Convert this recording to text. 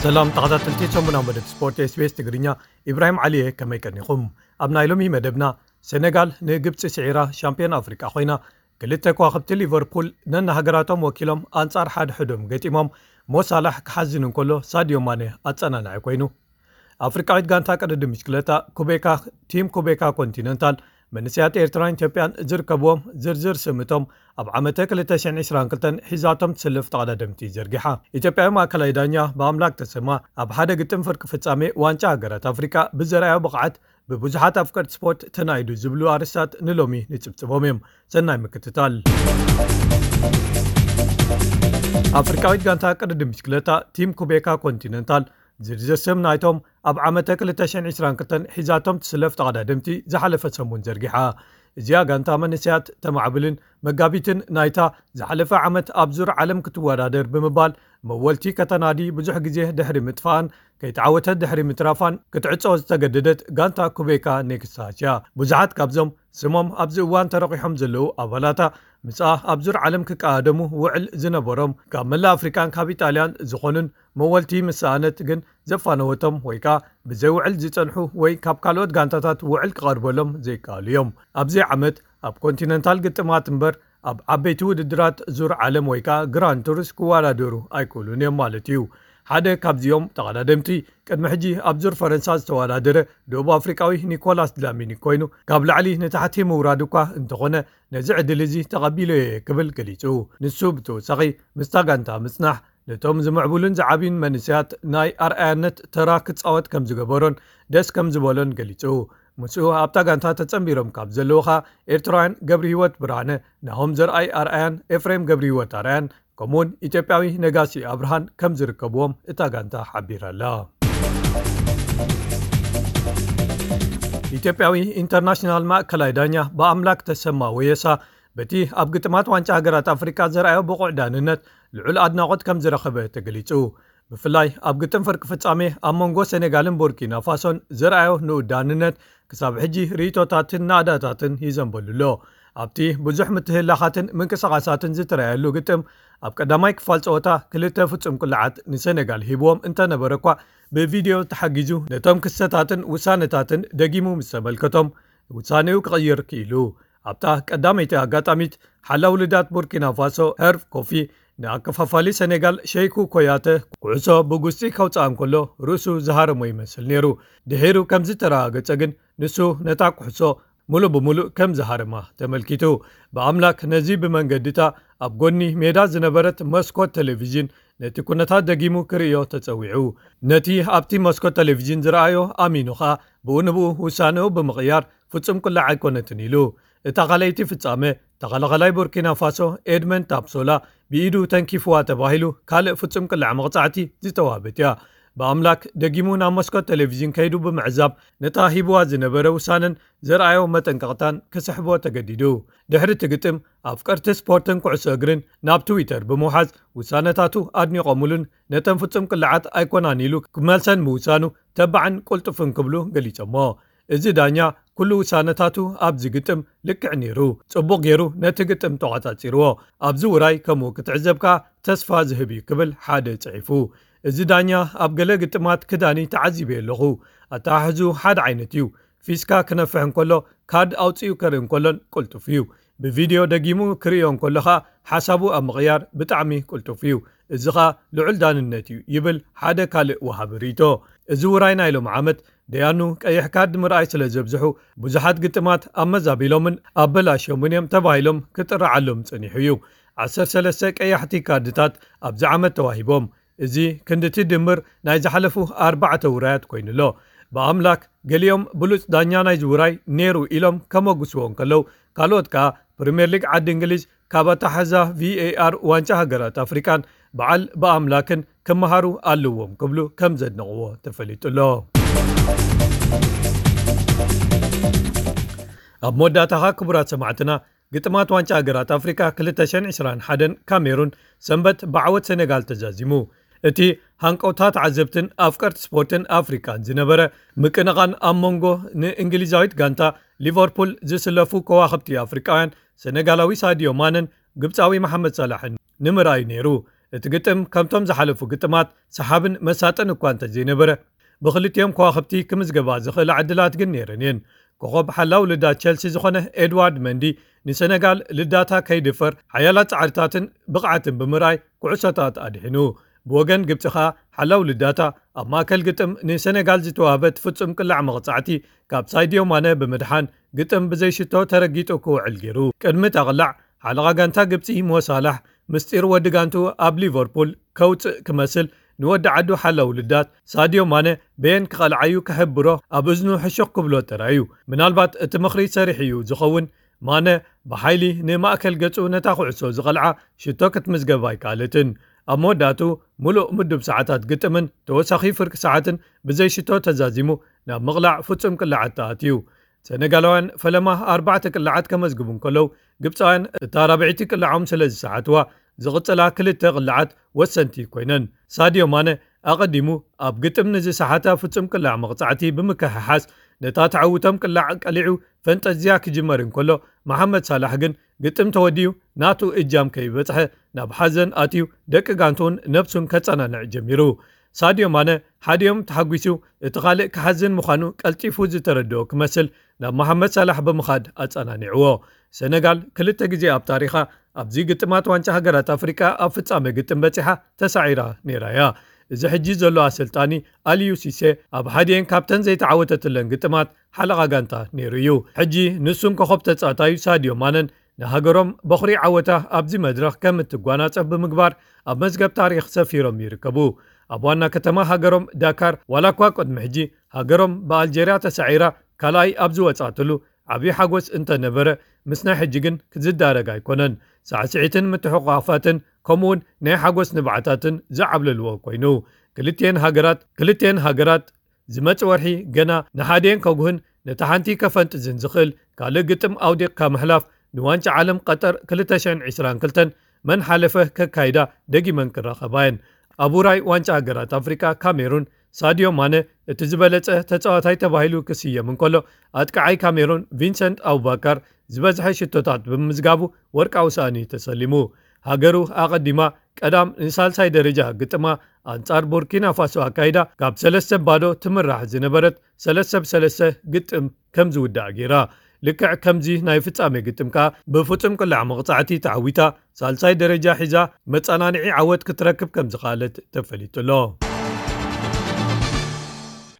ሰላም ተኸታተልቲ ሰሙናዊ መደብ ስፖርት ኤስቢኤስ ትግርኛ፣ ኢብራሂም ዓሊየ፣ ከመይ ቀኒኹም? ኣብ ናይ ሎሚ መደብና፣ ሰነጋል ንግብፂ ስዒራ ሻምፒዮን ኣፍሪቃ ኮይና፣ ክልተ ከዋኽብቲ ሊቨርፑል ነናሃገራቶም ወኪሎም ኣንጻር ሓድሕዶም ገጢሞም፣ ሞሳላሕ ክሓዝን እንከሎ ሳድዮ ማነ ኣጸናናዒ ኮይኑ። ኣፍሪቃዊት ጋንታ ቅድድም ብሽክለታ ኩቤካ፣ ቲም ኩቤካ ኮንቲነንታል፣ መንእሰያት ኤርትራን ኢትዮጵያን ዝርከብዎም ዝርዝር ስም እቶም ኣብ ዓመተ ክልተ ሽሕን ዕስራን ክልተን ሒዛቶም ትስለፍ ተቐዳደምቲ ዘርጊሓ። ኢትዮጵያዊ ማእከላይ ዳኛ ብኣምላክ ተሰማ ኣብ ሓደ ግጥም ፍርቂ ፍጻሜ ዋንጫ ሃገራት ኣፍሪቃ ብዘርኣዮ ብቕዓት ብብዙሓት ኣፍቀርቲ ስፖርት ተናኢዱ ዝብሉ ኣርእስታት ንሎሚ ንጽብጽቦም እዮም። ሰናይ ምክትታል። ኣፍሪቃዊት ጋንታ ቅድድም ብሽክለታ ቲም ኩቤካ ኮንቲነንታል ዝርዝር ስም ናይቶም ኣብ ዓመተ ክልተ ሽሕን ዕስራን ክልተን ሒዛቶም ትስለፍ ተቐዳደምቲ ዝሓለፈ ሰሙን ዘርጊሓ። እዚኣ ጋንታ መንእሰያት ተማዕብልን መጋቢትን ናይታ ዝሓለፈ ዓመት ኣብ ዙር ዓለም ክትወዳደር ብምባል መወልቲ ከተናዲ ብዙሕ ግዜ ድሕሪ ምጥፋኣን ከይተዓወተት ድሕሪ ምትራፋን ክትዕጾ ዝተገደደት ጋንታ ኩቤካ ኔክስታስ እያ። ብዙሓት ካብዞም ስሞም ኣብዚ እዋን ተረቂሖም ዘለዉ ኣባላታ ምስኣ ኣብ ዙር ዓለም ክቀዳደሙ ውዕል ዝነበሮም ካብ መላእ ኣፍሪቃን ካብ ኢጣልያን ዝኾኑን መወልቲ ምስ ሰኣነት ግን ዘፋነወቶም ወይ ከኣ ብዘይ ውዕል ዝጸንሑ ወይ ካብ ካልኦት ጋንታታት ውዕል ክቐርበሎም ዘይከኣሉ እዮም። ኣብዚ ዓመት ኣብ ኮንቲነንታል ግጥማት እምበር ኣብ ዓበይቲ ውድድራት ዙር ዓለም ወይ ከኣ ግራንድ ቱርስ ክወዳደሩ ኣይክእሉን እዮም ማለት እዩ። ሓደ ካብዚኦም ተቐዳደምቲ ቅድሚ ሕጂ ኣብ ዙር ፈረንሳ ዝተወዳደረ ደቡብ ኣፍሪቃዊ ኒኮላስ ድላሚኒ ኮይኑ ካብ ላዕሊ ንታሕቲ ምውራድ እኳ እንተኾነ ነዚ ዕድል እዚ ተቐቢለዮ እየ ክብል ገሊጹ። ንሱ ብተወሳኺ ምስታ ጋንታ ምጽናሕ ነቶም ዝምዕብሉን ዝዓብዩን መንእሰያት ናይ ኣርኣያነት ተራ ክጻወት ከም ዝገበሮን ደስ ከም ዝበሎን ገሊጹ። ምስኡ ኣብታ ጋንታ ተጸንቢሮም ካብ ዘለዉ ኸኣ ኤርትራውያን ገብሪ ህይወት ብርሃነ፣ ናሆም ዘርኣይ ኣርኣያን ኤፍሬም ገብሪ ህይወት ኣርኣያን ከምኡውን ኢትዮጵያዊ ነጋሲ ኣብርሃን ከም ዝርከብዎም እታ ጋንታ ሓቢራ ኣላ። ኢትዮጵያዊ ኢንተርናሽናል ማእከላይ ዳኛ ብኣምላክ ተሰማ ወየሳ በቲ ኣብ ግጥማት ዋንጫ ሃገራት ኣፍሪቃ ዘርኣዮ ብቑዕ ዳንነት ልዑል ኣድናቖት ከም ዝረኸበ ተገሊጹ። ብፍላይ ኣብ ግጥም ፍርቂ ፍጻሜ ኣብ መንጎ ሰኔጋልን ቡርኪና ፋሶን ዘርኣዮ ንኡድ ዳንነት ክሳብ ሕጂ ርእይቶታትን ናእዳታትን ይዘንበሉ ኣሎ። ኣብቲ ብዙሕ ምትህላኻትን ምንቅስቓሳትን ዝተረኣየሉ ግጥም ኣብ ቀዳማይ ክፋል ጸወታ ክልተ ፍጹም ቅልዓት ንሰኔጋል ሂብዎም እንተነበረ እኳ ብቪድዮ ተሓጊዙ ነቶም ክስተታትን ውሳነታትን ደጊሙ ምስ ተመልከቶም ውሳኔኡ ክቕይር ክኢሉ። ኣብታ ቀዳመይቲ ኣጋጣሚት ሓላው ልዳት ቡርኪና ፋሶ ሄርቭ ኮፊ ንኣከፋፋሊ ሰኔጋል ሸይኩ ኮያተ ኩዕሶ ብጉስጢ ከውጽኣ እንከሎ ርእሱ ዝሃረሞ ይመስል ነይሩ። ድሒሩ ከም ዝተረጋገጸ ግን ንሱ ነታ ኩዕሶ ሙሉእ ብሙሉእ ከም ዝሃረማ ተመልኪቱ። ብኣምላክ ነዚ ብመንገድታ ኣብ ጎኒ ሜዳ ዝነበረት መስኮት ቴሌቪዥን ነቲ ኩነታት ደጊሙ ክርእዮ ተጸዊዑ። ነቲ ኣብቲ መስኮት ቴሌቪዥን ዝረኣዮ ኣሚኑ ኸኣ ብኡ ንብኡ ውሳኔኡ ብምቕያር ፍጹም ቅላዕ ኣይኮነትን ኢሉ። እታ ካልኣይቲ ፍጻመ ተኸላኸላይ ቡርኪና ፋሶ ኤድመንድ ታፕሶላ ብኢዱ ተንኪፍዋ ተባሂሉ ካልእ ፍጹም ቅላዕ መቕጻዕቲ ዝተዋህበት እያ። ብኣምላክ ደጊሙ ናብ መስኮት ቴሌቪዥን ከይዱ ብምዕዛብ ነታ ሂብዋ ዝነበረ ውሳነን ዘርኣዮ መጠንቀቕታን ክስሕቦ ተገዲዱ። ድሕሪ እቲ ግጥም ኣፍቀርቲ ስፖርትን ኩዕሶ እግርን ናብ ትዊተር ብምውሓዝ ውሳነታቱ ኣድኒቖምሉን ነተን ፍጹም ቅላዓት ኣይኮናን ኢሉ ክመልሰን ምውሳኑ ተባዕን ቅልጡፍን ክብሉ ገሊጾሞ። እዚ ዳኛ ኩሉ ውሳነታቱ ኣብዚ ግጥም ልክዕ ነይሩ፣ ጽቡቕ ገይሩ ነቲ ግጥም ተቖጻጺርዎ። ኣብዚ ውራይ ከምኡ ክትዕዘብ ከኣ ተስፋ ዝህብ እዩ ክብል ሓደ ጽሒፉ። እዚ ዳኛ ኣብ ገለ ግጥማት ክዳኒ ተዓዚበ ኣለኹ። ኣተሓሕዙ ሓደ ዓይነት እዩ። ፊስካ ክነፍሕ እንከሎ ካርድ ኣውጺኡ ከርኢ እንከሎን ቅልጡፍ እዩ። ብቪድዮ ደጊሙ ክርእዮ እንከሎ ኸኣ ሓሳቡ ኣብ ምቕያር ብጣዕሚ ቅልጡፍ እዩ። እዚ ኸኣ ልዑል ዳንነት እዩ ይብል ሓደ ካልእ ወሃቢ ርእይቶ። እዚ ውራይ ናይ ሎም ዓመት ደያኑ ቀይሕ ካርድ ምርኣይ ስለ ዘብዝሑ ብዙሓት ግጥማት ኣመዛቢሎምን ኣበላሽዮምን እዮም ተባሂሎም ክጥርዓሎም ጸኒሑ እዩ። ዓሰርተ ሰለስተ ቀያሕቲ ካርድታት ኣብዚ ዓመት ተዋሂቦም። እዚ ክንድቲ ድምር ናይ ዝሓለፉ ኣርባዕተ ውራያት ኮይኑ ኣሎ። ብኣምላክ ገሊኦም ብሉጽ ዳኛ ናይ ዝውራይ ነይሩ ኢሎም ከመጉስዎ እንከለዉ ካልኦት ከኣ ፕሪምየር ሊግ ዓዲ እንግሊዝ ካብ ኣተሓሕዛ ቪኤኣር ዋንጫ ሃገራት ኣፍሪቃን በዓል ብኣምላክን ክመሃሩ ኣለዎም ክብሉ ከም ዘድነቕዎ ተፈሊጡ ኣሎ። ኣብ መወዳእታኻ ክቡራት ሰማዕትና ግጥማት ዋንጫ ሃገራት ኣፍሪቃ ክልተ ሽሕን ዕስራን ሓደን ካሜሩን ሰንበት ብዓወት ሰኔጋል ተዛዚሙ። እቲ ሃንቀውታ ተዓዘብትን ኣፍቀርቲ ስፖርትን ኣፍሪቃን ዝነበረ ምቅንቓን ኣብ መንጎ ንእንግሊዛዊት ጋንታ ሊቨርፑል ዝስለፉ ከዋኽብቲ ኣፍሪቃውያን ሰኔጋላዊ ሳድዮ ማነን ግብጻዊ መሓመድ ሳላሕን ንምርኣይ ነይሩ። እቲ ግጥም ከምቶም ዝሓለፉ ግጥማት ሰሓብን መሳጥን እኳ እንተዘይነበረ፣ ብክልቲኦም ከዋኽብቲ ክምዝገባ ዝኽእላ ዕድላት ግን ነይረን እየን። ኮኸብ ሓላው ልዳት ቸልሲ ዝኾነ ኤድዋርድ መንዲ ንሰነጋል ልዳታ ከይድፈር ሓያላት ጻዕርታትን ብቕዓትን ብምርኣይ ኩዕሶታት ኣድሒኑ። ብወገን ግብጺ ኸኣ ሓላው ልዳታ ኣብ ማእከል ግጥም ንሰነጋል ዝተዋህበት ፍጹም ቅላዕ መቕጻዕቲ ካብ ሳይድዮ ማነ ብምድሓን ግጥም ብዘይሽቶ ተረጊጡ ክውዕል ገይሩ። ቅድሚ እታ ቅላዕ ሓለቓ ጋንታ ግብጺ ሞሳላሕ ምስጢር ወዲ ጋንትኡ ኣብ ሊቨርፑል ከውጽእ ክመስል ንወዲ ዓዱ ሓላው ልዳት ሳድዮ ማነ በየን ክቐልዓዩ ክሕብሮ ኣብ እዝኑ ሕሹኽ ክብሎ ተራእዩ። ምናልባት እቲ ምኽሪ ሰሪሕ እዩ ዝኸውን። ማነ ብሓይሊ ንማእከል ገጹ ነታ ኩዕሶ ዝቐልዓ ሽቶ ክትምዝገብ ኣይከኣለትን። ኣብ መወዳእቱ ምሉእ ምዱብ ሰዓታት ግጥምን ተወሳኺ ፍርቂ ሰዓትን ብዘይ ሽቶ ተዛዚሙ ናብ ምቕላዕ ፍጹም ቅላዓት ተኣትዩ። ሰነጋላውያን ፈለማ ኣርባዕተ ቅላዓት ከመዝግቡ እንከለዉ፣ ግብፃውያን እታ ራብዒቲ ቅላዖም ስለ ዝሰሓትዋ ዝቕፅላ ክልተ ቅላዓት ወሰንቲ ኮይነን። ሳድዮ ማነ ኣቐዲሙ ኣብ ግጥም ንዝሰሓታ ፍጹም ቅላዕ መቕጻዕቲ ብምክሕሓስ ነታ ተዓውቶም ቅላዕ ቀሊዑ ፈንጠዝያ ክጅመር እንከሎ፣ መሓመድ ሳላሕ ግን ግጥም ተወዲኡ ናቱ እጃም ከይበጽሐ ናብ ሓዘን ኣትዩ ደቂ ጋንቱን ነብሱን ከጸናንዕ ጀሚሩ። ሳድዮ ማነ ሓዲኦም ተሓጒሱ እቲ ካልእ ክሓዝን ምዃኑ ቀልጢፉ ዝተረድኦ ክመስል ናብ መሓመድ ሳላሕ ብምኻድ ኣጸናኒዕዎ። ሰነጋል ክልተ ግዜ ኣብ ታሪኻ ኣብዚ ግጥማት ዋንጫ ሃገራት ኣፍሪቃ ኣብ ፍጻመ ግጥም በጺሓ ተሳዒራ ነይራ እያ። እዚ ሕጂ ዘሎ ኣሰልጣኒ ኣልዩ ሲሴ ኣብ ሓዲኤን ካብተን ዘይተዓወተትለን ግጥማት ሓለቓ ጋንታ ነይሩ እዩ። ሕጂ ንሱን ኮኸብ ተጻታዩ ሳድዮ ማነን ንሃገሮም በኹሪ ዓወታ ኣብዚ መድረኽ ከም እትጓናጸፍ ብምግባር ኣብ መዝገብ ታሪኽ ሰፊሮም ይርከቡ። ኣብ ዋና ከተማ ሃገሮም ዳካር ዋላ እኳ ቅድሚ ሕጂ ሃገሮም ብኣልጀርያ ተሳዒራ ካልኣይ ኣብ ዝወጻትሉ ዓብዪ ሓጎስ እንተነበረ፣ ምስ ናይ ሕጂ ግን ክዝዳረግ ኣይኮነን። ሳዕስዒትን ምትሕቑቓፋትን ከምኡውን ናይ ሓጎስ ንብዓታትን ዝዓብለልዎ ኮይኑ፣ ክልቲኤን ሃገራት ክልቲኤን ሃገራት ዝመጽእ ወርሒ ገና ንሓዲኤን ከጉህን ነታ ሓንቲ ከፈንጥዝን ዝኽእል ካልእ ግጥም ኣውዲቕካ ምሕላፍ ንዋንጫ ዓለም ቀጠር ክልተ ሽሕን ዕስራን ክልተን መን ሓለፈ ከካይዳ ደጊመን ክራኸባ እየን። ኣብ ውራይ ዋንጫ ሃገራት ኣፍሪቃ ካሜሩን ሳድዮ ማነ እቲ ዝበለጸ ተጻዋታይ ተባሂሉ ክስየም እንከሎ፣ ኣጥቃዓይ ካሜሩን ቪንሰንት ኣቡባካር ዝበዝሐ ሽቶታት ብምምዝጋቡ ወርቃዊ ሳእኒ ተሰሊሙ። ሃገሩ ኣቐዲማ ቀዳም ንሳልሳይ ደረጃ ግጥማ ኣንጻር ቡርኪና ፋሶ ኣካይዳ ካብ ሰለስተ ባዶ ትምራሕ ዝነበረት ሰለስተ ብ ሰለስተ ግጥም ከም ዝውዳእ ገይራ። ልክዕ ከምዚ ናይ ፍጻሜ ግጥም ከኣ ብፍጹም ቅላዕ መቕጻዕቲ ተዓዊታ ሳልሳይ ደረጃ ሒዛ መጸናንዒ ዓወት ክትረክብ ከም ዝኸኣለት ተፈሊጡ ኣሎ።